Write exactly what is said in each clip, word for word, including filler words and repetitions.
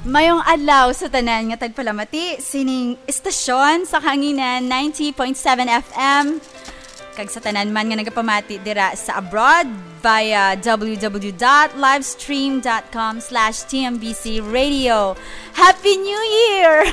Mayong adlaw sa tanan nga tagpalamati sining istasyon sa Kahanginan ninety point seven F M. Kag sa tanan man nga nagapamati dira sa abroad via w w w dot livestream dot com slash t m b c radio. Happy New Year!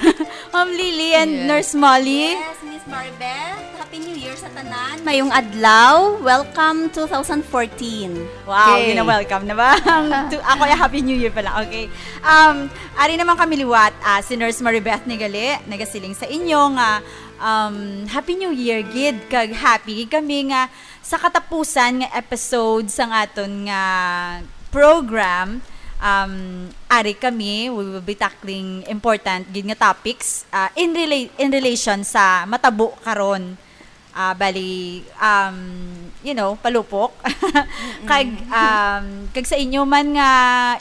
Ma'am Lily and Yes. Nurse Molly. Yes, Miss Maribeth. Happy New Year sa tanan. Mayong adlaw. Welcome two thousand fourteen. Wow, Okay. gina-welcome na ba? Ang tu- ako ay Happy New Year pala. Okay. Um, ari naman kami liwat, ah, si Nurse Maribeth ni gali, nagasiling sa inyo nga, um, Happy New Year gid, kag happy gid kami nga sa katapusan nga episode sang aton nga program, um, ari kami, we will be tackling important gid nga topics, ah, in rela- in relation sa matabo karon. Ah, bali, um, you know, palupok. Kag, um, kag sa inyo man nga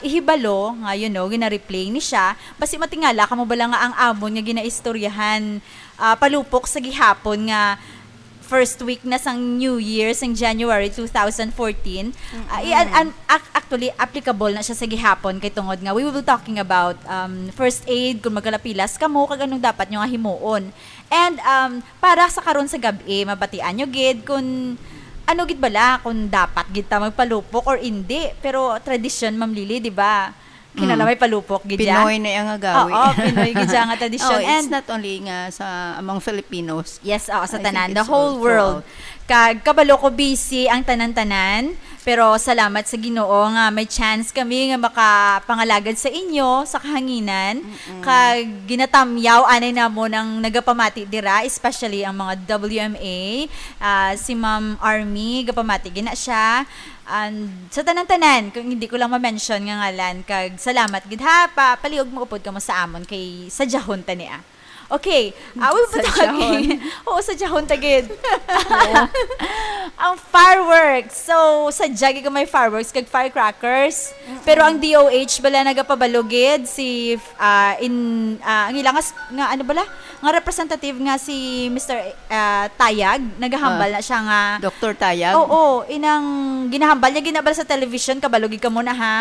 ihibalo nga, you know, gina-replay ni siya, basi matingala kamo bala nga ang amon nga ginaistoryahan, ah, palupok sa gihapon nga first week na sang New Year, sang January two thousand fourteen. Ah, i- an- an- ac- actually, applicable na siya sa gihapon kay tungod nga we will be talking about, um, first aid, kung magkalapilas kamo, kag anong dapat nyo nga himuon. And, um, para sa karon sa gab-i, mabatian nyo gid kung ano gid bala, kung dapat gid ta magpalupok or indi. Pero tradisyon, Ma'am Lily, di ba? Kinala Mm. may palupok gid ya. Pinoy na yang gawi. Oo, Pinoy gid ya nga tradisyon. Oh, it's And not only nga sa among Filipinos. Yes, oo, sa I tanan, think the it's whole all world. throughout. Kag kabalo ko busy ang tanan-tanan, pero salamat sa Ginoo nga may chance kami nga makapangalagad sa inyo sa kahanginan. Mm-mm. Kag ginatamyaw anay namon ang nagapamati dira, especially ang mga W M A, ah, si Ma'am Army, gapamati gina siya. And sa tanan-tanan, kung hindi ko lang ma-mention nga ngalan, kag salamat gid ha, pa, palihog mo upod kamo sa amon kay sa jahon ta ni, ah. Okay, ah, we'll be Sa talking. jahon. Oo, sa jahon ta gid. Oo. Ang fireworks. So, sa jagi ko may fireworks kag firecrackers. Pero ang D O H bala nagapabalo gid si, ah, in, ah, ang ilang as-, nga ano bala? Nga representative nga si Mister, ah, Tayag, nagahambal Ah, na siya nga Doktor Tayag? Oo, inang ginahambal niya, ginabal sa television, kabalo gid kamo na ha.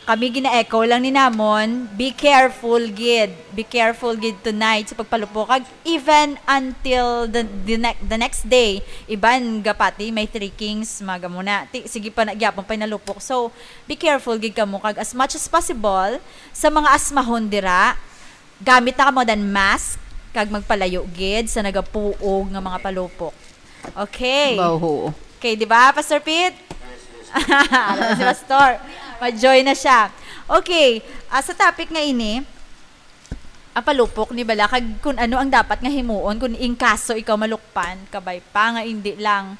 Kami gina-echo lang ni namon, "Be careful gid. Be careful gid tonight sa pagpalupok." Kag even until the, the, ne- the next day, iban gapati may three kings, mga gamuna. Ti, sige pa na, gyapon pa'y nalupok. So, be careful gid kamo. Kag as much as possible, sa mga asmahon dira, gamit na kamo dan mask, kag magpalayo gid sa nagapuog nga mga palupok. Okay. Baho. Okay, di ba, Pastor Pete? Alam si Pastor. Ma-joy na siya. Okay, ah, sa topic nga ini, ang palupok ni bala, kag kung ano ang dapat nga himuon kung in kaso ikaw malukpan, kabay pa nga hindi lang.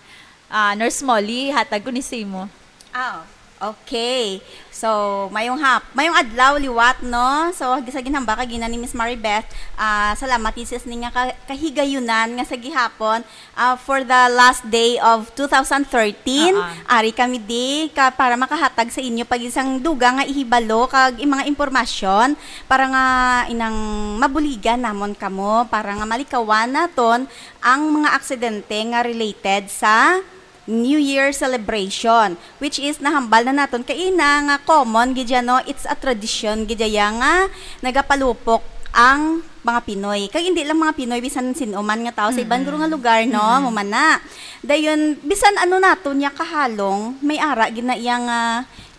Ah, Nurse Molly, hatag ko ni Simo. Ah, okay. So, mayong hap-, mayong adlaw liwat, no? So, sa ginhambal kag ina ni Miss Maribeth, ah, salamat ni sis ni nga ka-, kahigayunan nga sa gihapon, ah, for the last day of two thousand thirteen, Ah, ah. ari kami di ka para makahatag sa inyo pag isang dugang nga ihibalo kag i-, mga impormasyon para nga inang mabuligan namon kamo para nga malikawan naton ang mga aksidente nga related sa New Year celebration, which is nahambal na naton kaina nga common gid ya, no? It's a tradition gid ya nga nagapalupok ang mga Pinoy. Kag hindi lang mga Pinoy, bisan sin-o man nga tao sa iban Mm-mm. guro nga lugar, no? Mm-mm. Mumana. Dayon, bisan ano naton ya kahalong, may ara gid na iya nga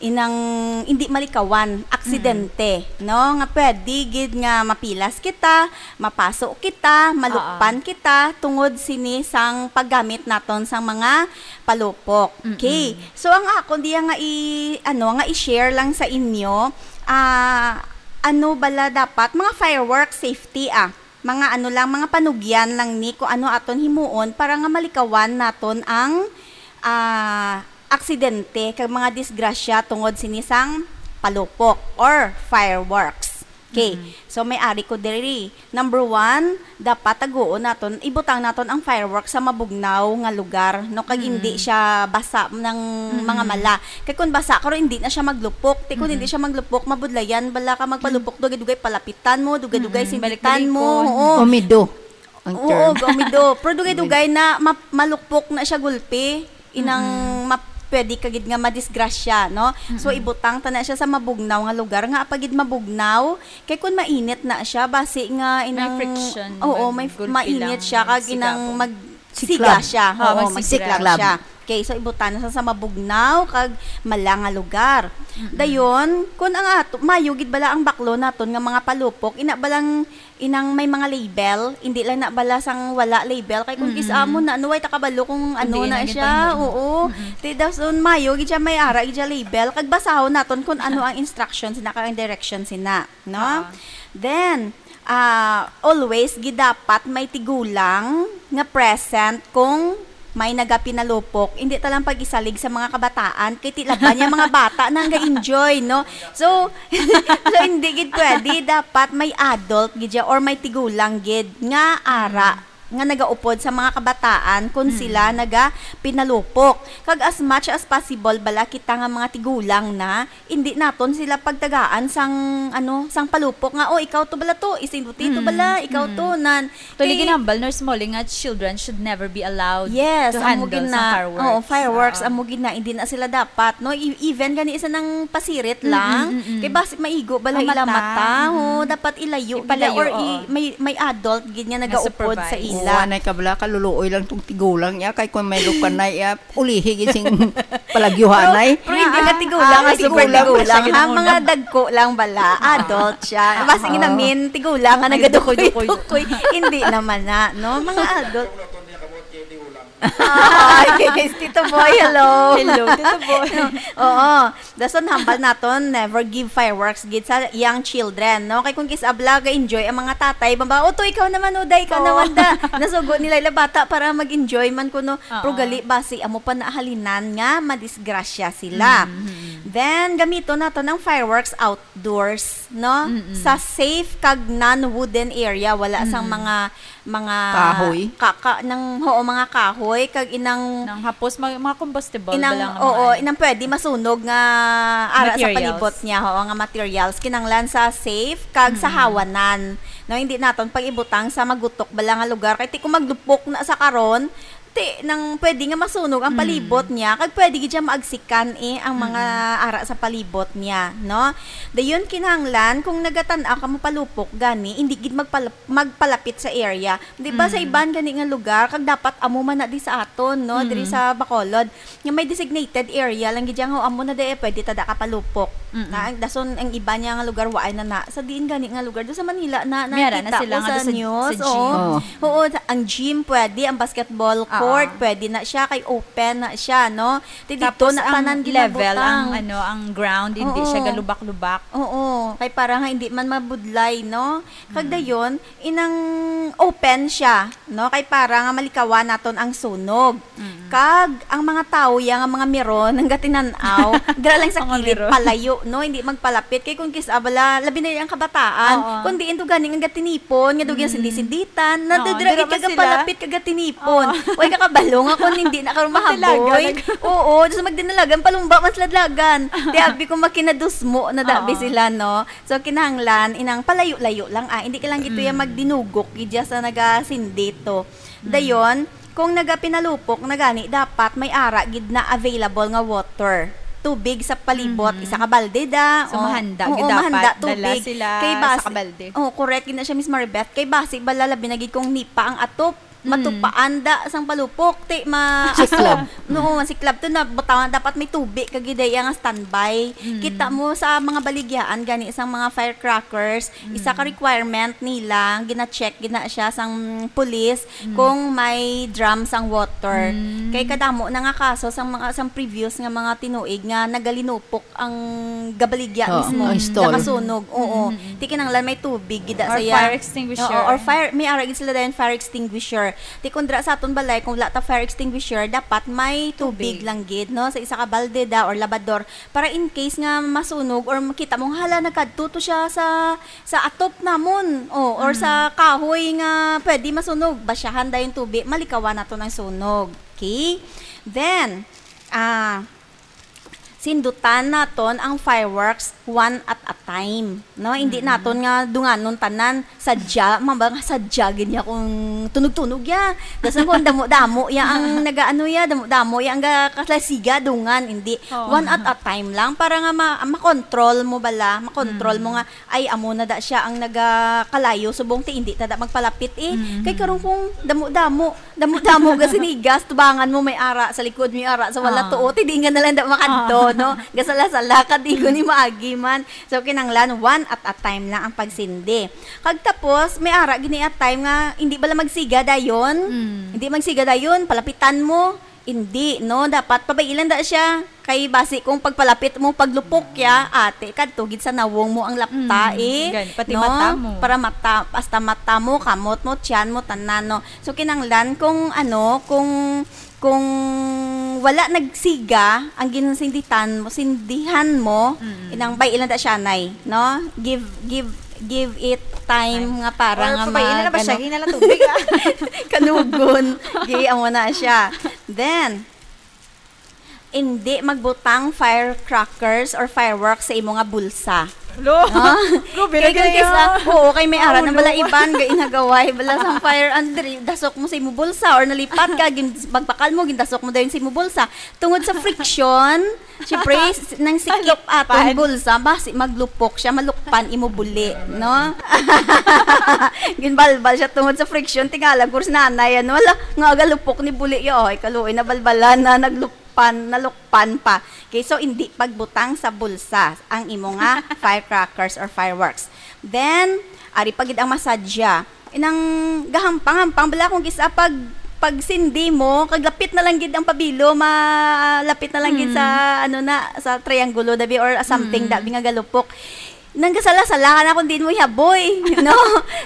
inang hindi malikawan, aksidente, Mm. no? Nga pwede gid nga mapilas kita, mapaso kita, malukpan Oo. kita, tungod sini sang paggamit naton sang mga palupok. Mm-mm. Okay. So, ang akon diya nga i-, ano, nga i-share lang sa inyo, ah, ano bala dapat? Mga firework safety, ah. Mga ano lang, mga panugyan lang ni kung ano aton himuon para nga malikawan naton ang, ah, aksidente kag mga disgrasya tungod sini sang palupok or fireworks. Okay. Mm-hmm. So, may ari ko diri. Number one, dapat taguon naton, ibutang naton ang fireworks sa mabugnaw nga lugar, no? Kag Mm-hmm. hindi siya basa ng Mm-hmm. mga mala. Kay kung basa, karon hindi na siya maglupok. Ti kung hindi Mm-hmm. siya maglupok, mabudlayan bala ka magpalupok, dugay-dugay palapitan mo, dugay-dugay Mm-hmm. sinditan mo. Balik-balikon. Oo. Umido ang Oo, term. Umido. Pero dugay-dugay Umido. na ma-, malukpok na siya gulpi. Inang Mm-mm. map-, pwede ka gid nga madisgrasya, no? So, Mm-mm. ibutang ta na siya sa mabugnaw nga lugar, nga apa gid mabugnaw, kay kun mainit na siya, basi nga May inang friction, oo, may may f-, gulpi mainit lang, siya, kag magsiga inang po. magsiga Siklab. siya. Oo, Oo, magsiga magsiklab. siya. Okay, so ibutang na sa, sa mabugnaw kag mala nga lugar. Mm-mm. Dayon, kun ang ato, mayo gid bala ang baklo naton nga mga palupok, ina balang inang may mga label, hindi lang na bala sang wala label, kay kung Mm-mm. kis-a mo na, ano, way ta kabalo kung ano Hindi na na gid siya, ang oo. Mm-mm. Ti dason mayo gid siya may ara gid siya label, kag basahon naton kung ano ang instruction sina kag ang direction sina, no? Ah. Then, ah, always gid dapat may tigulang nga present kung may nagapinalupok, hindi ta lang pag-isalig sa mga kabataan, kay tila ba niya mga bata na nga enjoy, no? So, so hindi gid pwede, dapat may adult gid siya or may tigulang gid nga ara Mm. nga nagaupod sa mga kabataan kung Mm. sila nagapinalupok. Kag as much as possible, bala kita nga mga tigulang na, hindi naton sila pagtagaan sang, ano, sang palupok nga, "Oh, ikaw to bala to, isinduti to Mm, bala, ikaw mm. to," nan. Actually, Kay ginhambal, Nurse Molly, nga children should never be allowed Yes, to amo handle gid sang na. fireworks. Oo, fireworks, Oo. amo gid na, hindi na sila dapat, no? E-, even gani isa nang pasirit Mm, lang, mm, mm, mm. kay basi maigo bala Ang ila mata. mata, ho, Mm. dapat ilayo gid Ipalayo, or i-, oo. may, may adult gid nga Nga nagaupod sa supervise. ila. Oo, anay ka bala, kaluluoy lang tong tigulang niya, kay kung may lukanay, iya, ulihi gid sing palagyuhanay. Pero, pero hindi Ah, ka tigulang, ah, nga super tigulang pa tigulang, siya, ha? ginauna. Mga dagko lang bala, adult siya. Ah, Basta oo. ginamin, tigulang nga Ay, nagadukoy-dukoy. dukoy-dukoy. Hindi naman na, no? Mga adult. Ay, Tito Boy, hello. Hello, Tito Boy. Oo. Dason hambal naton, never give fireworks gid sa young children, no? Kay kung kis-a bala ga-enjoy ang mga tatay, bamba, "O, to, ikaw naman, Uday, ikaw Oo. naman, da." Nasugo nila ila bata para mag-enjoy man kuno. Oo. Pero gali basi, amo pa na halinan nga madisgrasya sila. Mm-hmm. Then, gamiton naton ang fireworks outdoors, no? Mm-mm. Sa safe kag non-wooden area, wala sang Mm. mga, mga Kahoy? ka-, ka-, nang, oo, mga kahoy, kag inang Nang hapos, mga, mga combustible inang, bala nga oo, mga inang pwede masunog nga ara sa Materials. palibot niya, oo, nga materials. Kinahanglan sa safe kag sa Mm. hawanan. No, hindi naton pag-ibutang sa magutok bala nga lugar. Kay ti kung maglupok na sa karon, ti nang pwede nga masunog ang Mm. palibot niya, kag pwede gid siya maagsikan, eh, ang mga Mm. ara sa palibot niya, no? Dayon, kinahanglan, kung nagatan-aw ka mapalupok gani, hindi gid magpal-, magpalapit sa area. Di ba, sa Mm. iban gani nga lugar, kag dapat amo man na di sa aton, no? Diri Mm. sa Bacolod, nga may designated area lang gid, nga amo na di, eh, pwede ta da kapalupok. Mm-mm. Na, ang dason ang iba niya nga lugar, waay na na. Sa diin gani nga lugar, do sa Manila na, May ara na nakita sila ko nga sa do sa, news, sa gym. oo. Oo. Oo, sa, ang gym pwede, ang basketball Oo. court pwede na siya, kay open na siya, no? Ti dito Tapos na ang tanan level, ginabutang. ang, ano, ang ground, hindi Oo. siya galubak-lubak. Oo, kay para nga hindi man mabudlay, no? Kag Mm. dayon, inang open siya, no? Kay para nga malikawan naton ang sunog. Mm. Kag ang mga tawo ya nga mga miron, ang gatinan-aw, dira lang sa Mga kilid, miron. palayo, no? Hindi magpalapit. Kay kung kis-a bala, labi na ang kabataan, Oo. kung diin to gani nga gatinipon, nga dugyan Mm. sindi-sinditan, na Oo, dira dira gid man ka sila. palapit ka gatinipon. Oo. Way ka kabalo nga kung hindi na karon Magdalaga mahaboy. na ka. Oo, just magdinalagan, palumba man sila dalagan. Ti abi ko makinadusmo na dabi Oo. sila, no? So, kinahanglan, inang palayo-layo lang, ah. Hindi ka lang gito ya Mm. magdinugok, gidya sa nagasindito. Mm. Dayon, kung nagapinalupok na gani, dapat may ara gid na available nga water. Tubig sa palibot, Mhm. isa ka balde da, So, o, mahanda oo, gid dapat mahanda dala tubig. sila Kay sa bas-, kabalde. oh, correct gid na siya, Miss Maribeth. Kay basi, bala labi na gid kung nipa ang atop, Mm. matupaan da sang palupok, ti ma-, Siklab. no, siklab to na, butangan dapat may tubi kag gid iya nga standby. Mm. Kita mo sa mga baligyaan gani sang mga firecrackers, isa ka Mm. requirement nila, gina-check gina siya sang pulis Mm. kung may drum sang water. Mm. Kay kadamo na nga kaso sang mga, sang previous nga mga tinuig nga nagalinupok ang gabaligya Oo, mismo, ang stall. nakasunog. Oo. Mm-mm. Ti kinahanglan may tubig gid Or sa iya. fire extinguisher. Oo, or fire, may ara gid sila dayon fire extinguisher. Ti kung dira sa aton balay, kung wala ta fire extinguisher, dapat may tubig Tubig. lang gid, no? Sa isa ka balde da or labador. Para in case nga masunog or makita mo nga, "Hala, nagkadto to siya sa, sa atop namon." O, or sa Mm. kahoy nga pwede masunog, basyahan dayon tubig, malikawan naton ang sunog. Okay? Then, ah, sindutan naton ang fireworks one at a time, no? Hindi naton nga dunganon tanan. Sadya, mamba nga sadya gid niya kung tunog-tunog ya. Dason kung damo-damo ya ang nagaano ya, damo-damo ya ang ga-, kalasiga, dungan, hindi. Oo. One at a time lang para nga ma-, makontrol mo bala, makontrol mo nga, "Ay, amo na da siya ang nagakalayo, subong ti hindi ta da magpalapit eh." Mm. Kay karon kung damo-damo, damo-damo ga sinigas, tubangan mo may ara sa likod, may ara sa wala Ah. tuo, ti di nga na lang da makadto, Ah. no? Gasala-sala ka, di ko ni maagi man. So, kinanglan, one at a time lang ang pagsindi. Kag tapos, may ara gini a time nga hindi bala magsiga dayon. Mm. Hindi magsiga dayon, palapitan mo. Hindi, no? Dapat pabailan da siya. Kay basi kung pagpalapit mo, paglupok ya, ate, kadto gid sa nawong mo ang lapta, Mm, eh, gani, pati no? mata mo. Para mata, hasta mata mo, kamot mo, tiyan mo, tanan, no? So, kinanglan kung, ano, kung, kung wala nagsiga ang ginsinditan mo, sindihan mo, Mm. inang bay ilang ta siya, nay, no? Give, give, give it time Time. nga para Or nga pabayaan na ba siya? mag-, ano, Hinala tubig, ah. kanugon. Gi, amo na siya. Then, hindi magbutang firecrackers or fireworks sa imo nga bulsa. Lo, Ah, grabe kay na kung kaya. kisa, oo, kay may arat na Ulo. bala iban, ga inagaway, bala sang fire, and diri, dasok mo sa imo bulsa, or nalipat ka, gin-, magpakal mo, gindasok mo dayon sa imo bulsa. Tungod sa friction, syempre, s-, nang sikip Lukpan. aton bulsa, basi maglupok siya, malukpan imo buli, no? Ginbalbal siya tungod sa friction, tingala, gurs nanay, ano, wala, nga agalupok ni buli, yo, ay, kaluoy, nabalbalan na, naglup-, pan, nalukpan pa. Okay, so hindi pagbutang sa bulsa ang imo nga firecrackers or fireworks. Then, ari pa gid ang masadya. Inang gahampang-hampang bala kung kisa pag, pagsindi mo, kag lapit na lang gid ang pabilo, malapit na lang gid sa, Mm. ano na, sa triangulo, dabi, or something, Mm. dabi nga galupok. Nanggasala-sala ka na kung diin mo ihaboy, no?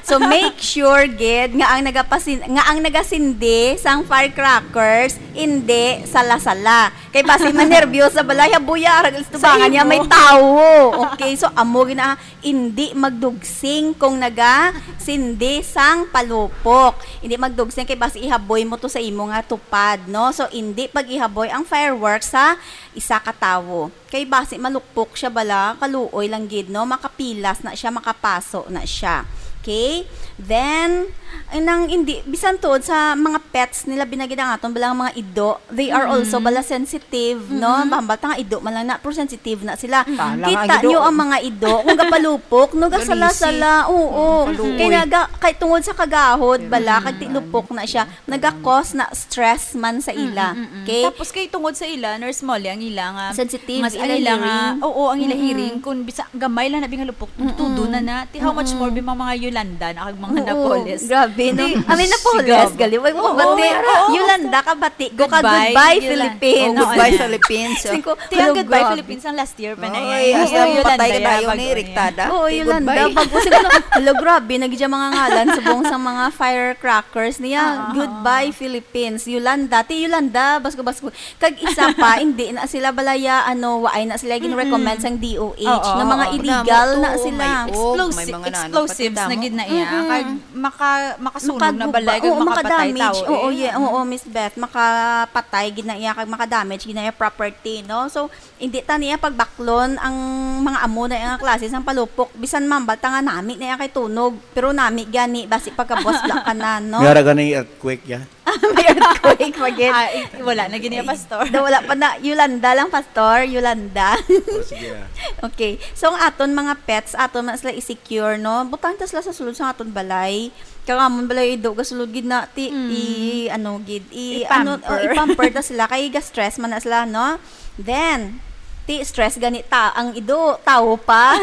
So, make sure gid nga ang nagapasin-, nga ang nagasindi sang firecrackers, hindi sala-sala. Kay basi manerbyosa bala, ihaboy ya, arag Sa tubangan niya, imo. may tawo. Okay, so amo gina, hindi magdugsing kung nagasindi sang palupok. Hindi magdugsing kay basi ihaboy mo to sa imo nga tupad, no? So, hindi pag-ihaboy ang fireworks sa isa ka tawo. Kay basi malukpok siya bala, kaluoy lang gid, no? Makapilas na siya, makapaso na siya. Okay? Then, ay nang indi, bisan tuod sa mga pets nila, binagid ang aton bala nga mga ido, they are Mm. also bala sensitive, no? Mm. Bahambal ta nga ido man lang na, pero sensitive na sila. Mm. Tala nga Kita ido. nyo ang mga ido, kung gapalupok, no? Galisi. Gasala-sala, oo. Mm, kaluoy. Kay naga-, kay tungod sa kagahod bala, Mm. kag tilupok na siya, naga-cause na stress man sa ila. Mm, mm, mm. Okay? Tapos kay tungod sa ila, Nurse Molly, ang ila nga Sensitive, mas ila ang ila nga, hearing. oo, ang ila Mm-mm. hearing, kung bisa, gamay lang na bingalupok, Mm-mm. tudo na na. Ti, how much Mm-mm. more bi mga, mga Yolanda na kag mga Oo, Napoles? grabe, no? Di, I mean, Napoles, grabe. gali. Wag mo Oo, bati. oo. Yolanda, kabati ko ka, Goodbye, goodbye, Yola-, Philippines. oh, Goodbye, Ano? Philippines. Singko, Ti, ang hello, Goodbye, grabe. Philippines, ang last year pa na Oy, eh. hasta Oh, Yolanda, patay ka ba yabag, yun, oh, eh. Riktada? Oo, Ti, Yolanda. goodbye. Pag, siguro, hala, grabe, nagdya mga ngalan, subong sa mga firecrackers niya. Ah, ah, Goodbye, ah. Philippines. Yolanda. Ti, Yolanda, basko-basko. Kag isa pa, hindi na sila balaya, ano, waay na sila gin-recommend Mm-mm. sang D O H Oo, nga mga oo. illegal Damo na to, sila. may coke, may Explosi-, mga nano, explosives pati na damo. gid na iya. Mm-mm. Kag maka-, makasunog na Makaguba-, balay, kag oo, makapatay makadamage. tao, Oo, eh. yeah, oo, Miss Beth, makapatay gid na iya, kag makadamage gid na iya property, no? So, hindi ta niya pagbaklon ang mga amo na nga klase sang palupok. Bisan mambal ta nga nami na iya kay tunog, pero nami gani, basi pagkabuas bla ka na, no? May ara gani earthquake, ya? May earthquake pa gid. Ah, i-, wala na gid niya, Pastor. Da, wala pa na. Yolanda lang, Pastor. Yolanda. Oh, sige, ah. Okay. So, ang aton mga pets, aton man sila i-secure, no? Butang ta sila sa sulod sa aton balay. Kag amon balay, ido, gasulod gid na, ti, Mm. i-, ano, gid, i-, ano, I-pamper. oh, i-pamper ta sila. Kay ga-stress man na sila, no? Then, ti, stress gani ta, ang ido, tawo pa.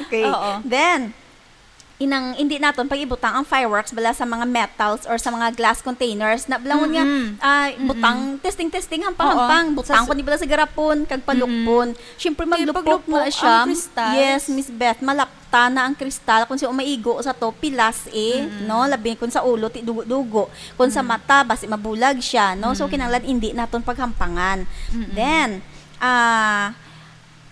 Okay. Oo. Then, inang, hindi naton pag-ibutang ang fireworks bala sa mga metals or sa mga glass containers. Na, bala nga, Mm-mm. ah, Mm-mm. butang, testing-testing, hampang-hampang. Oo. Butang Sa ko ni bala sa garapon, kag palukpon. Mm-mm. Siyempre, Kay maglupok paglupok na siya. ang crystals. Yes, Miss Beth, malapta na ang kristal. Kung siya maigo sa to, pilas eh, Mm-mm. no? Labi kung sa ulo, ti dugo-dugo. Kung sa Mm. mata, basi mabulag siya, no? So, Mm. kinahanglan hindi naton paghampangan. Mm-mm. Then, ah,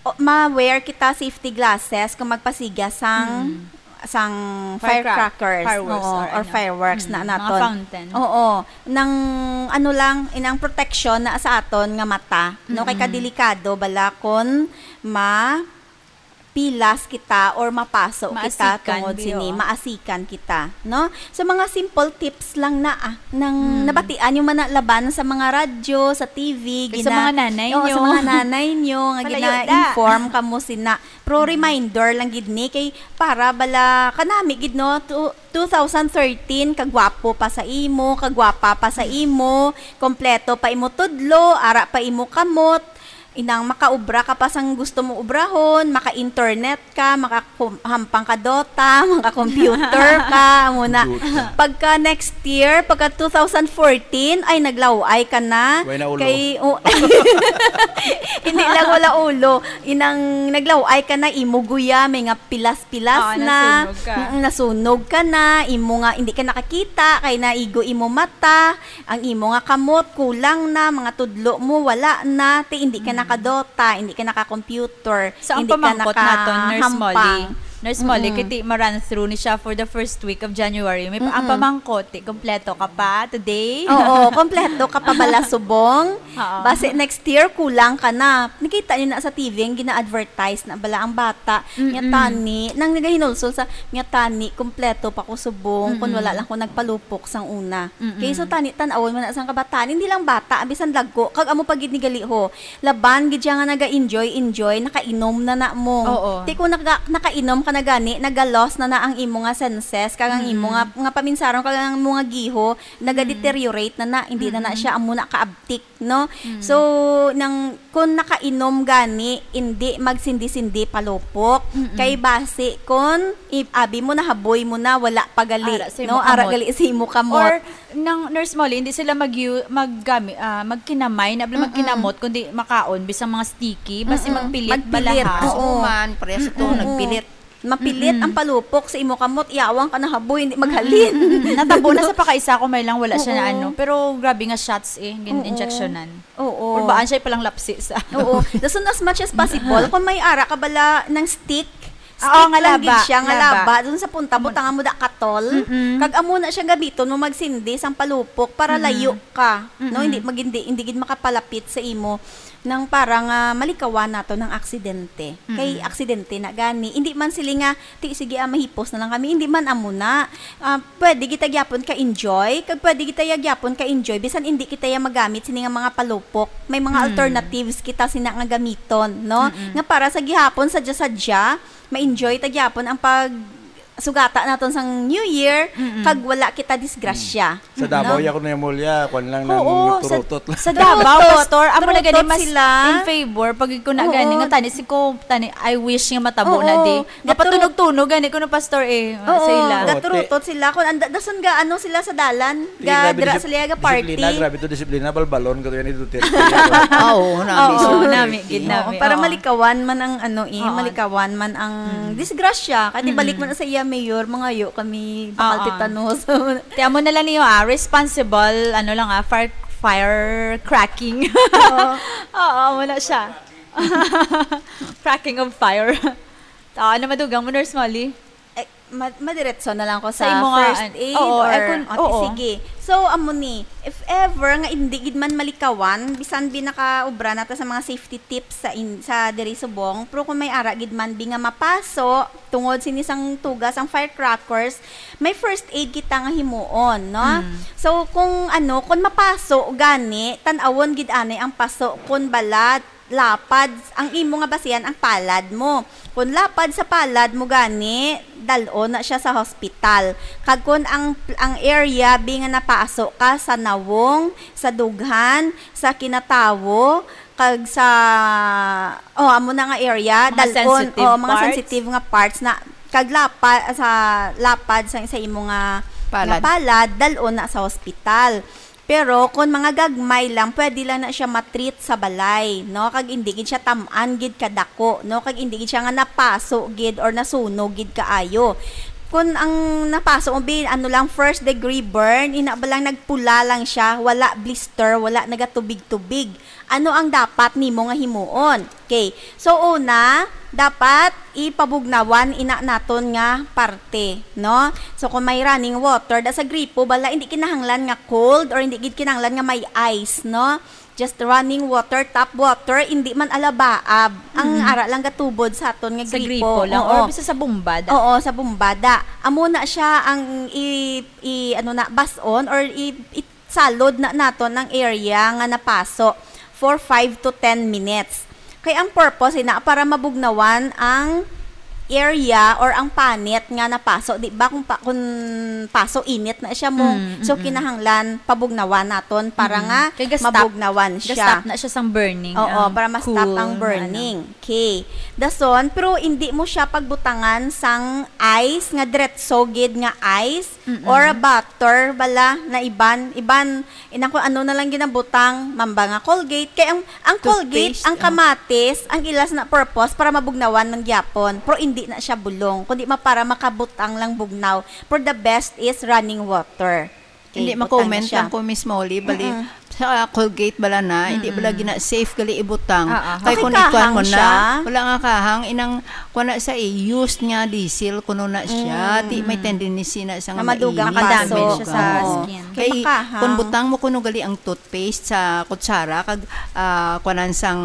o, ma-wear kita safety glasses kung magpasiga sang, Mm. sang Firecrack-, firecrackers, fireworks oo, or or ano. fireworks na Mm, mga naton. fountain. Oo. Nang, ano lang, inang protection na sa aton nga mata, no? Kay Mm. kadelikado bala kung ma-, pilas kita or mapaso kita Maasikan, tungod bi, sini, oo. Maasikan kita, no? So, mga simple tips lang na, ah, nang Hmm. nabatian yung man na laban sa mga radyo, sa T V, Kay sa gina-, mga nanay oo, sa nyo. Mga nanay nyo, nga Malayo na. Gina-inform kamo sina. Pero Mm. reminder lang gid ni, kay para bala, kanami gid, no? Tu-, two thousand thirteen, kagwapo pa sa imo, kagwapa pa sa imo, kompleto pa imo tudlo, ara pa imo kamot, inang makaobra ka pa sang gusto mo obrahon, maka-internet ka, makakum-, hampang ka Dota, maka-computer ka, amo na. Dota. Pagka next year, pagka two thousand fourteen, ay, naglaw-ay ka na. Way na ulo. Kay, oh, hindi lang wala ulo. Inang naglaw-ay ka na, imo guya, may nga pilas-pilas Oo, na. Nasunog ka. Mm, nasunog ka na, imo nga, hindi ka nakakita, kay naigo imo mata, ang imo nga kamot, kulang na, mga tudlo mo, wala na, ti hindi ka Mm. nakadota, hindi ka naka-computer, So, ang hindi ka pamangkot naton, Nurse Molly, nakahampang. Nurse Molly, Mm-mm. kiti ma-run through ni siya for the first week of January. May pa-, ang Mm-mm. pamangkot, ti, kompleto ka pa today? Oo, kompleto ka pa bala subong. Oo. Basi next year, kulang ka na. Nakita niyo na sa T V, ang gina-advertise na bala ang bata. Nga Mm-mm. tani, nang nagahinulsol sa, nga tani, kompleto pa ko subong, kung Mm-mm. wala lang ko nagpalupok sang una. Mm-mm. Kay so tani, tan-awon mo na sang kabataan, hindi lang bata, bisan dagko, kag amo pa gid ni gali ho. Laban gid siya nga naga-enjoy, enjoy, nakainom na na mo. Oo. Ti kung naka-, nakainom ka na gani, naga-loss na na ang imo nga senses, kag ang imo Mm-mm. nga, nga paminsaron, kag ang imo nga giho, naga-deteriorate na na, hindi na na Mm-mm. siya amo na kaabtik, no? Mm. So, nang, kung nakainom gani, hindi magsindi-sindi palupok. Mm-mm. Kay basi, kung i-, abi mo, nahaboy mo na, wala pa gali, Ara sa imo no? Ara kamot. Gali sa imo kamot. Or, nang Nurse Molly, hindi sila mag-, magkami-, ah, magkinamay, na Mm-mm. magkinamot, kundi makaon, bisang mga sticky, basi Mm-mm. magpilit, Magpilit, balahaw. Oo. Oo man, pareha sa to, Oo. nagpilit. Mapilit Mm-mm. ang palupok sa imo kamot, yawang ka nahaboy, hindi maghalin. Mm-mm. Natabo na sa pakaisa ko, may lang wala siya na Oo. ano. Pero grabe nga shots eh, gin-, Oo. injectionan. Oo. Or baan siya palang lapsi sa ano. Oo. Dason as much as possible, kung may ara ka bala ng stick, Oo, stick nga lang laba, gid siya, nga laba. laba. Doon sa punta, Amo- butang mo da katol. Mm-mm. Kag amo na siya gamiton mo magsindi sang palupok para Mm-mm. layo ka. No, Mm-mm. hindi, mag-, hindi, hindi gid makapalapit sa imo. Nang para nga malikawan nato ng aksidente. Kay Mm. aksidente na gani. Hindi man sila nga, "Ti, sige, ah, mahipos na lang kami." Hindi man amo na. Ah, pwede kita gyapon ka-enjoy, kag pwede kita ya gyapon ka-enjoy, bisan hindi kita ya magamit sini nga mga palupok. May mga Mm. alternatives kita sina nga gamiton, no? Mm-mm. Nga para sa gihapon, sadya-sadya, ma-enjoy ta gyapon ang pag sugata naton sang New Year, Mm-mm. kag wala kita disgrasya. Sa Davao, No? ya ko na yung mulya, kwan lang Oo, ng sa, turutot lang. sa Davao, Turutot. Pastor, amo na gani Turutot mas sila. in favor, pag ko na Oo. gani, nga tani, si ko, tani, I wish nga matabo Oo. na di. Gaturo- Mapatunog-tunog gani ko no, Pastor, eh, Oo, sa ila. gaturutot sila. Kung anda, dason ga, ano sila sa dalan, Sige, ga, grabe dira disip-, sila ga party. disiplina, grabe to, disiplina, balbalon ka to yan, ito, Oo, nami, Oo, sila. nami, gid, Oo, nami, para oo. malikawan man ang, ano, eh, Oo. malikawan man ang Mm. disgrasya. Kaya Mm. balik man sa iya, Mayor, mangayo kami bakal Oo. tetanos. Ti amo na lang niyo, ah, responsible, ano lang, ah, fire, fire cracking. Oo. Oo, wala siya. Cracking of fire. Ah, ano madugang mo, Nurse Molly? Eh, ma-, madiretso na lang ko Sa sa imo nga, first an-, aid oo, or, eh, kun-, okay, oo. sige. So, amo ni, if ever nga hindi gid man malikawan, bisan bi nakaobra na ta sa mga safety tips sa in-, sa diri subong, pero kung may ara gid man bi nga mapaso, tungod sini sang tugas ang firecrackers, may first aid kita nga himuon, no? Mm. So, kung ano, kung mapaso gani, tan-awon gid ani ang paso kung bala lapad, ang imo nga basihan ang palad mo. Kung lapad sa palad mo gani, dal-on na siya sa hospital. Kag kung ang, ang area bi nga napaso ka sa nawong, sa dughan, sa kinatawo, kag sa, oh, amo na nga area, Mga dal-on, sensitive oh, mga parts? sensitive nga parts na, kag lapa-, sa lapad sa, sa imo nga, nga Palad. palad, dal-on na sa hospital. Pero kung mga gagmay lang, pwede lang na siya matreat sa balay, no? Kag indi gid siya tam-an gid kadako, no? Kag indi gid siya nga napaso gid or nasunog gid kaayo. Kung ang napaso mo, bi, ano lang, first degree burn, ina ba lang nagpula lang siya, wala blister, wala nagatubig-tubig. Ano ang dapat nimo nga himuon? Okay. So, una, dapat ipabugnawan ina naton nga parte, no? So, kung may running water, da sa gripo, bala, hindi kinahanglan nga cold or hindi gid kinahanglan nga may ice, no? Just running water, tap water, hindi man alabaab. Ang Mm-mm. ara lang gatubod sa aton nga Sa gripo. gripo lang, Oo. or basta sa bumbada. Oo, sa bumbada. Amo na siya ang i, i, ano na, bason or i, i, salod na naton ang area nga napaso for five to ten minutes. Kay ang purpose ina para mabugnawan ang area or ang panit nga napaso, di ba? Kung pa, kung paso, init na siya mo. Mm, So, mm-mm. kinahanglan pabugnawan naton para Mm-mm. nga Kay ga-stop, mabugnawan siya. ga-stop na siya sang burning, Oo, ang para ma-stop cool ang nga, ano. burning. Okay. Dason, pero hindi mo siya pagbutangan sang ice nga diretso gid nga ice Mm-mm. or butter bala na iban, iban, inang kung ano na lang ginabutang, mamba nga Colgate. Kay ang, ang Colgate, Toothpaste, ang oh. kamatis, ang ilas na purpose para mabugnawan ng gyapon. Pero hindi na siya bulong, kundi ma-, para makabutang lang bugnaw. Pero the best is running water. Okay, Hindi, butang na ma-comment siya. lang ko, Miss Molly, bali, Mm-mm. sa Colgate bala na, hindi bala Mm-mm. gina-, safe gali ibutang. Ah, ah. Kay Okay, kung ikuan kahang mo na, siya? wala nga kahang, inang, kuan na sa i-, used nga diesel, kuno na siya, Mm. di may tendency na sa Nga nga madugang maihi, Makadamage paso. siya sa madugang. Oo. skin. Kay Kay makahang. kung butang mo kuno gali ang toothpaste sa kutsara, kag, ah, kuanan sang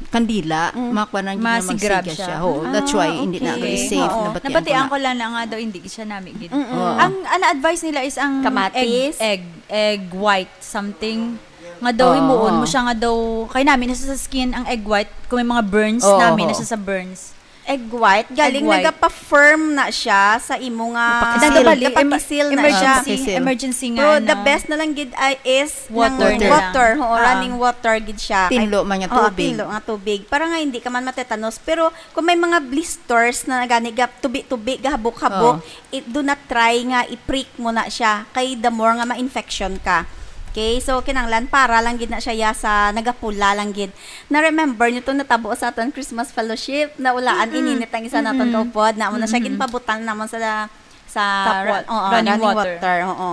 kandila, Mm. makuanan gid nga Masigrab magsiga siya. siya. Oo, that's why Ah, hindi na okay. gali safe, Oo. nabatian ko Nabatian na. ko lang na nga daw, hindi siya nami gid. Mm-mm. Oo. Ang, ang advice nila is ang Kamatis? egg, egg, egg white something. Nga daw, Oo. himuon mo Oo. siya nga daw, kay nami na siya sa skin, ang egg white, kung may mga burns, Oo, nami na oo. siya sa burns. Egg white, galing Egg white. nagapa-firm na siya sa imo nga Napakisil. Nagabali, em-, napakisil na siya. emergency, Napakisil. emergency nga, Pero the ano, best na lang gid ay is Water ng na lang. water, oo, Ah. running water gid siya. Kay Tinlo man nga Oo, tubig. tinlo nga tubig. Para nga hindi ka man matetanos. Pero kung may mga blisters na gani, ga-, tubi-tubi, gahabok-habok, Oo. i-, do not try nga i-prick mo na siya. Kay the more nga ma-infection ka. Okay? So, kinahanglan para lang gid na siya ya sa nagapula lang gid. Na-remember niyo tong natabo sa aton Christmas fellowship? Naulaan Mm-mm. ininit ang isa naton Mm-mm. kaupod. Na mo na siya Mm-mm. ginpabutang namon sa, sa Tap ra-, water. oo, Running running water. water. Oo.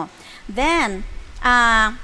Then, ah,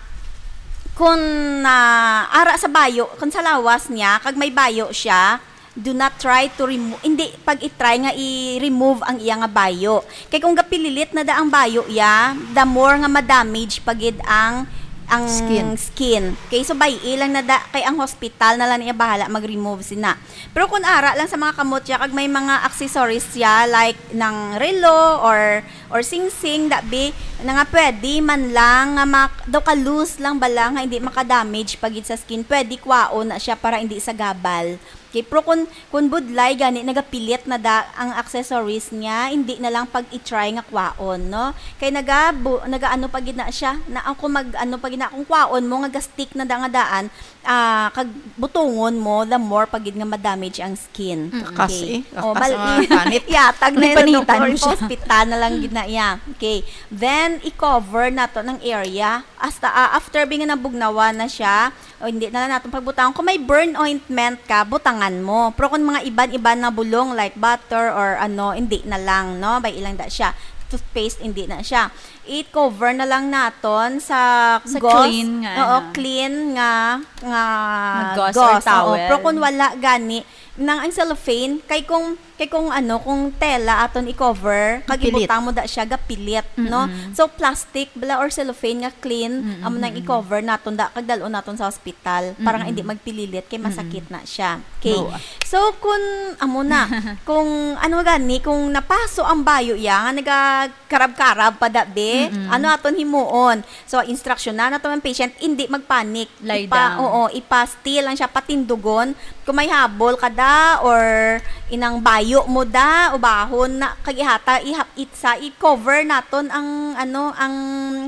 kung, ah, ara sa bayo, kung sa lawas niya, kag may bayo siya, do not try to remove, hindi pag i-try nga i-remove ang iya nga bayo. Kay kung gapililit na da ang bayo iya, the more nga ma-damage pa gid ang, ang Skin. skin. Okay, so bay-i lang na da, kay ang hospital na lang niya bahala mag-remove sina. Pero kung ara lang sa mga kamot siya, kag may mga accessories siya, like ng relo or, or singsing, dabi, na nga pwede man lang nga mak-, daw ka loose lang ba lang nga hindi maka-damage pa gid sa skin, pwede kwaon na siya para hindi sa gabal. Okay, pero kung, kung budlay gani nagapilit na da ang accessories niya, hindi na lang pag i-try nga kwaon, no? Kay nagabu-, nagaano pa gid na siya, na ako mag-ano pa gid na, kung kwaon mo nga ga-stick na da nga daan, ah, kag butungon mo, the more pa gid nga ma-damage ang skin. Mm. Kakas Okay. eh. Oh, Kakas bal-, ang panit. Yatag na May yung panitan doktor, mo siya. hospital na lang gid na iya. Okay. Then, i-cover nato ng area. Hasta, ah, after bi nga nabugnawan na siya, o hindi na lang natin pagbutang. Kung may burn ointment ka, butangan mo. Pero kung mga iban-iban na bulong, like butter or ano, hindi na lang, no? Bay-i lang da siya. Toothpaste, hindi na siya. I-cover na lang naton sa Sa gauze. clean nga, Oo, ano. clean nga, nga Nga gauze or gauze. Oo. towel. Pero kung wala gani, nang ang cellophane, kay kung, kay kung ano, kung tela aton i-cover, kag Pilit. ibutang mo da siya, gapilit, no? Mm-mm. So, plastic bala or cellophane nga clean, Mm-mm, amo nang mm-mm. i-cover naton da, kag dalon naton sa hospital, para nga Mm-mm. hindi magpililit, kay Mm-mm. masakit na siya. Okay. Oo. So, kung, amo na, kung ano gani, kung napaso ang bayo iya, nga naga-, karab-karab pa da, be. Mm-mm. Ano aton himuon? So, instruksyonan naton ang patient, hindi magpanik. Lie Ipa-, down. oo, ipa-still lang siya, patindugon. Kung may habol ka da, or inang bayo mo da, ubahon na, kag ihata, ihap-, itsa, i-cover naton ang, ano, ang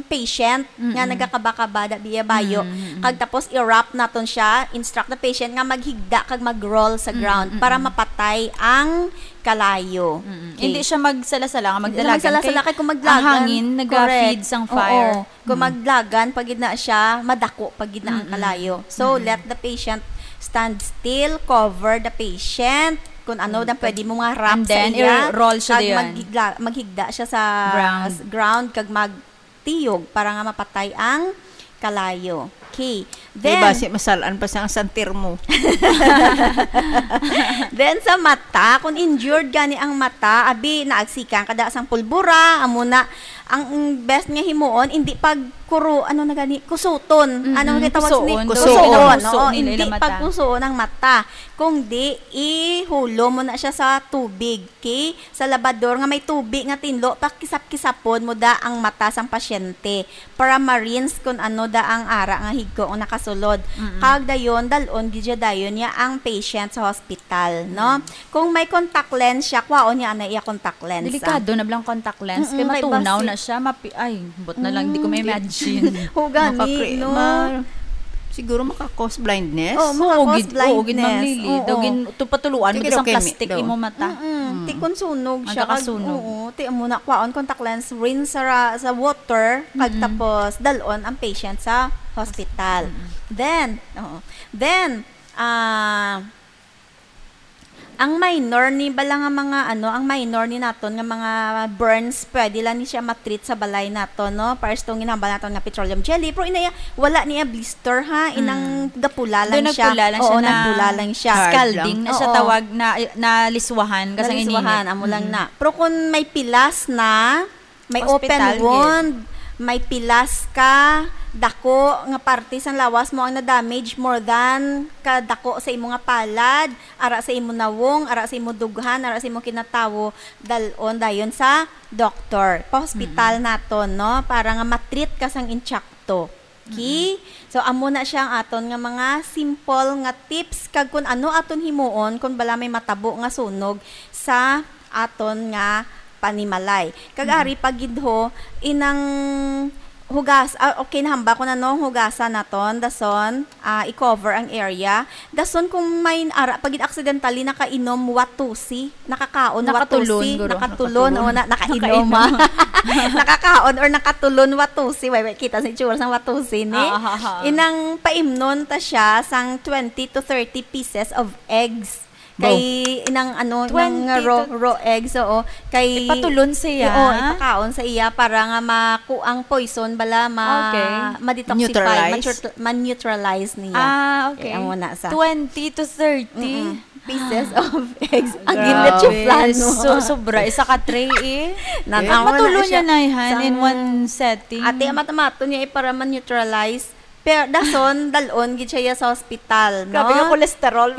patient nga Mm-mm. nagakaba-kaba da, biya bayo. Mm-mm. Kag tapos, i-wrap naton siya, instruct the patient nga maghigda kag mag-roll sa ground Mm-mm. para mapatay ang kalayo. Mm-mm. Okay. Hindi siya magsala-sala, nga Hindi magdalagan. magsala-sala, Kay kay kung maglagan, ang hangin, naga-feed correct. sang Oo. fire. Kung Mm. maglagan, pa gid na siya, madako pa gid na ang Mm-mm. kalayo. So, Mm-mm. let the patient stand still, cover the patient. Kung ano Mm. na pwede mo nga wrap And sa then, iya, i-roll siya kag diyan. maghigla-, maghigda siya sa Ground. s-, ground, kag magtiyog para nga mapatay ang kalayo. Okay. Kay then, basi masalaan pa sang santir mo. Then sa mata, kung injured gani ang mata, abi, naagsikan ka da sang pulbura, amo na, ang best nga himuon, hindi pag kuro, ano na gani, kusuton. Mm-mm, ano nga tawag ni? Kusuon. Kusuon, Kusuon, oo, kusuon nila hindi ila mata. Pagkusuon ang mata. Kung di, ihulo mo na siya sa tubig, okay? Sa labador nga may tubig nga tinlo, pakisap-kisapon mo da ang mata sang pasyente para ma-rinse kung ano da ang ara nga higko ang nakasulod. Mm-mm. Kag dayon, dal-on gid siya dayon niya ang patient sa hospital, no? Mm. Kung may contact lens siya, kwaon niya ana iya contact lens, ah. Delikado na bilang contact lens, kay Mm-mm, kay matunaw basi na siya, mapi-, ay, bot na lang, di ko Mm, di ma-imagine. Ho, gani, Makakre-, no? ma-, siguro maka-cause blindness. Oh, Oo, maka-cause gid, oo, gid, Ma'am blindness. Lily. Oo. Daw gin-, tu-, patuluan mo Sige, sa okay, mi-, plastic daw. Imo mata. Mm-mm. Mm. Ti kun sunog siya, kag, Magkakasunog. Oo, ti amo na, kwaon contact lens, rinse sa ra-, sa water, kag Mm-mm. tapos dal-on ang patient sa hospital. Mm-mm. Then, oo. Then, ah, ang minor ni bala nga mga, ano, ang minor ni naton nga mga burns, pwede lang ni siya matreat sa balay naton, no? Pares tong ginhambal naton nga petroleum jelly, pero inaya, wala niya blister, ha? Inang Mm. gapula lang Doon siya. Nagpula lang Oo, siya na nagpula lang siya. Hard scalding lang. na siya Oo. tawag na, na liswahan, kasi ang Naliswahan, ininit. amo lang Mm. na. Pero kung may pilas na, may Hospital open gid. wound, may pilas ka, dako nga parte sang lawas mo ang na-damage, more than ka dako sa imo nga palad, ara sa imo nawong, ara sa imo dughan, ara sa imo kinatawo, dal-on dayon sa doktor. Pa-hospital Mm-mm. naton, no? Para nga matreat ka sang insakto. Okay? Mm-mm. So, amo na siya ang aton nga mga simple nga tips kag kun ano aton himuon kun bala may matabo nga sunog sa aton nga panimalay. Kag Mm-mm. ari pa gid ho, inang hugas-, ah, okay, nahamba ko na, no, hugasan naton, dason, ah, i-cover ang area. Dason kung may ara pa gid accidentally nakainom watusi, nakakaon Nakatulon, watusi, guro. nakatulon, Nakatulon. o na, nakainom, Nakainom. ah. Nakakaon or nakatulon watusi. Wait, wait, kita sa itsura sang watusi ni. Ah, ah, ah, ah. Inang paimnon ta siya sang twenty to thirty pieces of eggs. Bo. Kay inang ano, inang Twenty raw, to raw eggs, oo. Kay Ipatulon siya? Oo, ipakaon sa iya para nga maku-, ang poison bala ma-, Okay. ma-detoxify, Neutralize? ma-neutralize niya. Ah, okay. Kaya mo na sa Twenty to thirty. Mm-mm. Pieces of eggs. Ang Grabe. ginlechuflan mo. So, sobra. Isa ka tray, eh. Nan-, Eh, amo na Matulo siya. niya na, han, in Sang one setting. Ate, amat-amato niya, eh, para ma-neutralize. Pero dason, dal-on gid siya sa hospital, no? Grabe yung cholesterol.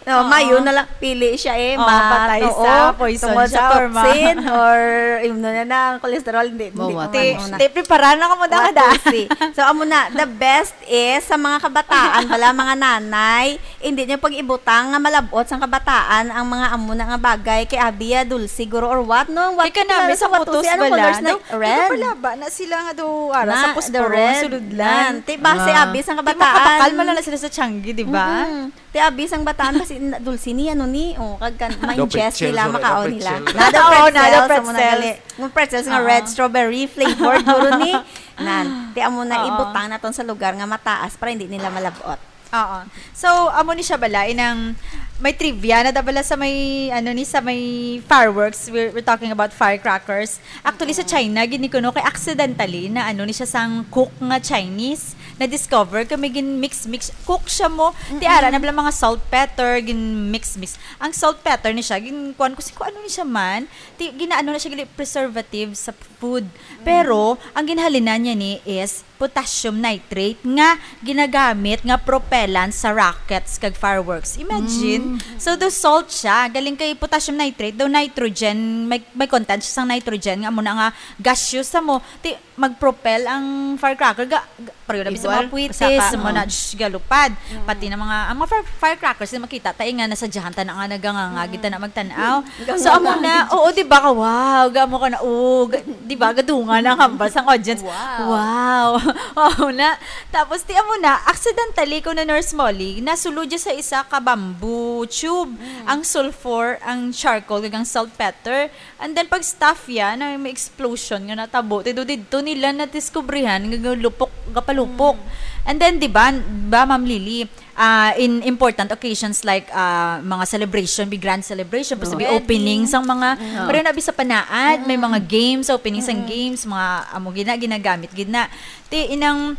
No, Oo. mayo na lang pili siya, eh. Oo, Ma-, patay oo, sa poison tungod sa siya or ma- toxin or, yun na na, ang cholesterol, hindi, hindi Mawat. ko Te, ano na. te, prepara na ka mo, dada. Watusi. So, amo na, the best is sa mga kabataan, bala, mga nanay, hindi niyo pag-ibutang nga malabot sang kabataan ang mga amo na nga bagay kay abi ya dulce, guro, or what, no? What Kay kanami kilala sa sa photos watusi? Anong bala? colors na? Daw, Red? ikaw pala ba? Na sila nga daw, ara, Na, sa the posporo, red. sulod lang. Nan. Ti base Ah. abi sang Ti kabataan. makapakal man lang na sila sa tiangge, di ba? Mm-mm. Ti abi sang bataan kasi na, dulce ni, ano ni, oh, kag kan, ma-ingest nila, makaon nila. Daw pretzel, daw pretzel. Nada Oo, nada pretzel, sa mga pretzel. gali. Yung pretzels nga Oo. red strawberry flavored, guro ni. Nan, ti amo na Oo. ibutang naton sa lugar nga mataas para hindi nila malabot. Oo. So, amo ni siya bala, inang may trivia na da bala sa may, ano ni, sa may fireworks. We're, we're talking about firecrackers. Actually, sa Mm-mm. China, gid ni kuno kay accidentally na ano ni siya sang cook nga Chinese. Na-discover kay may gin-mix-mix. Cook siya mo. Ti ara Mm-mm. na bala mga salt, pepper, gin-mix-mix. Ang salt, pepper ni siya, gin-, kuwan ko si, kung ano ni siya man. Ti, ginaano na siya, gali, preservative sa food. Mm. Pero, ang ginhalinan niya ni is potassium nitrate nga ginagamit nga propellant sa rockets kag fireworks. Imagine. Mm. So, do salt siya. Galing kay potassium nitrate, do nitrogen, may, may content siya sang nitrogen nga amo na nga gaseous sa mo. Ti, mag-propel ang firecracker. Ga, ga, pareho na sa Igual, mga puwitis, sa ka, sa mga oh. na, shh, galupad. Mm. Pati na mga, ang mga fire-, firecrackers na makita tayo nga nasadyahan ta na nga nagangangagit ta na magtanaw. So, amo na, oo, di ba ka, wow, gamo ka na, oh, ga-, di ba, gadungan ang hambal sang audience. Wow. Wow. Oo na. Tapos, ti amo na, accidentally, kuno Nurse Molly, nasulod siya sa isa ka bamboo tube, Mm. ang sulfur, ang charcoal, kag ang saltpeter. And then, pag staff ya, na may explosion nga natabo, ti do didto nila nadiskubrihan nga galupok, gapalupok. Mm. And then, di ba, ba, Ma'am Lily, ah, in important occasions like, ah, mga celebration, big grand celebration, basta Oh. may Wedding. opening sang mga, Mm. pareho na bi sa panaad, may Mm. mga games, opening sang Mm. games, mga amo gina, ginagamit gid na. Ti inang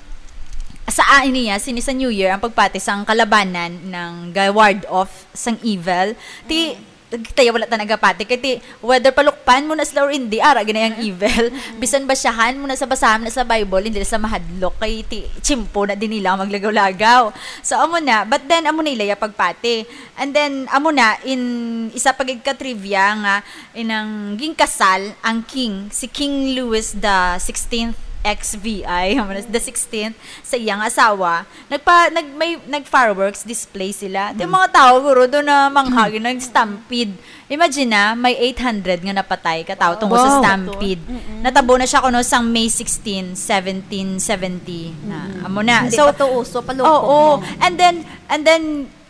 Sa, ah, niya, sini sa New Year, ang pagpati sang kalabanan nga ga-ward off sang evil. Ti, tayo wala ta nagapati. Kay ti, whether palukpan mo na sila or hindi, ara gani ang evil. Bisan basyahan mo na sa basahan na sa Bible, hindi sila mahadlok. Kay ti, tiyempo na din nila ang maglagaw-lagaw. So, amo na. But then, amo na ila ya pagpati. And then, amo na, in isa pa gid ka trivia nga, inang ginkasal ang king, si King Louis the sixteenth, X V I, amo na, the sixteenth, sa iyang asawa, nagpa-, nag-, may, nag-fireworks display sila. Ti, mga tao, guro, doon na mangha, nag-stampede. Imagine na, may eight hundred nga napatay ka tao tungod sa Wow. stampede. Natabo na siya kuno sang May sixteen, seventeen seventy na. Amo na. Hindi So, pa to uso, palupok oo. mo. And then, and then,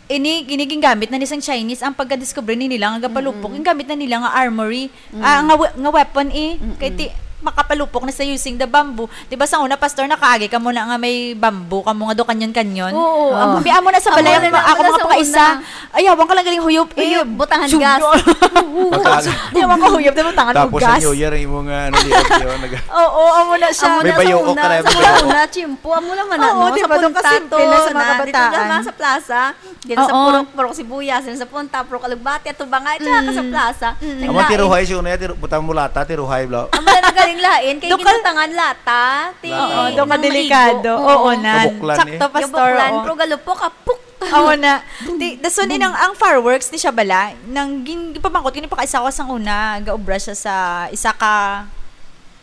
ini, ini gingamit na ni sang Chinese ang pagka-discover ni nila nga gapalupok. Gingamit na nila nga armory, ah, nga we-, nga weapon eh. Kay ti, makapalupok na sa using the bamboo. Di ba sa una, pastor, nakaagi ka muna nga may bamboo ka mo nga do kanyon-kanyon? Oo, Amo, amo. Amo na sa Amo balay, na, ako amo na mga sa pakaisa. Una. Ay, hawang ka lang galing huyop eh. Huyop, butangan Sugno. gas. Pagka- Di, hawang ka huyop, di butangan mo Tapos sa gas. New Year, yung mga ano, liog yun, nag- Oo, amo na siya. Amo May na sa bayo, una, okay, sa may bayo. una, chimpo, amo naman na, Oo, no? di Sa ba? Doon punta, kasimple to, na sa mga na, dito kabataan. naman sa plaza, dito sa Oo. Purok, Purok Sibuyas, dito sa punta, Purok Alugbati, at Tubangay, tsaka ka sa Mm. plaza. Mm. Amo, Naglain. tiruhay, siya una, tiru-, butang mo lata, tiruhay, blo. Amo na nagaling lain, kay Doon ka ginutangan lata, ti-, Oo, doon ka nang delikado. maigo. Oo, Oo. nan. Kabuklan, Sakto, eh. pastor, Kabuklan, oo. pero galupok, kapuk. Amo na. Di, dason, inang, ang fireworks ni siya bala, nang gin-, gipamangkot, kini pa ka isa ko sang una, gaobra siya sa isa ka,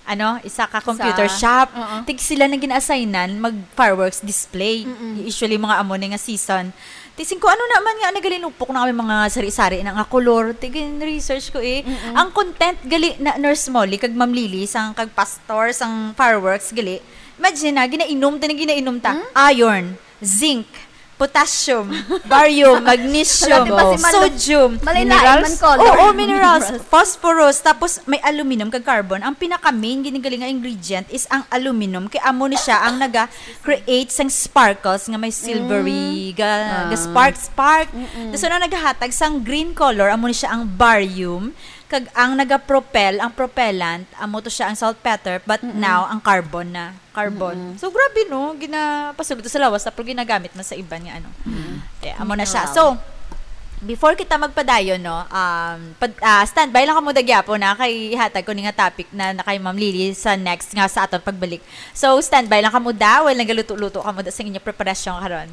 ano, isa ka computer Sa shop. Oo. Tig sila nang gina-assignan mag-fireworks display. Mm-mm. Usually, mga amo ni nga season. Ti singko, ano naman nga, nagalinupok na kami mga sari-sari na nga kolor. Ti gin-research ko eh. Mm-mm. Ang content gali na Nurse Molly, kag Ma'am Lily, sang kag pastor, sang fireworks gali. Imagine na, ginainom ta, na ginainom ta. Hmm? Iron, zinc, potassium, barium, magnesium, Wala, di ba si Malu-, sodium, malay-lain minerals. man color. Oo, minerals, Minerals. phosphorus, tapos may aluminum kag carbon. Ang pinaka-main ginigaling nga ingredient is ang aluminum. Kay amo ni siya ang naga-create sang sparkles nga may silvery, Mm. ga, Ah. ga spark, spark. Mm-mm. Tapos ano naghahatag sang green color, amo ni siya ang barium. Kag ang naga-propel, ang propellant, amo to siya ang saltpeter, but Mm-mm. now ang carbon na. Carbon. Mm-mm. So, grabe, no? Ginapasulod to sa lawas, pero ginagamit man sa iban nga, ano. Mm. Kaya, amo na siya. Wow. So, before kita magpadayon, no, um, pad-, ah, standby lang kamo da gyapon, na kay ihatag ko ni nga topic na, na kay Ma'am Lily sa next nga sa aton pagbalik. So, standby lang kamo da, while nagaluto-luto kamo da sa inyong preparasyon karon.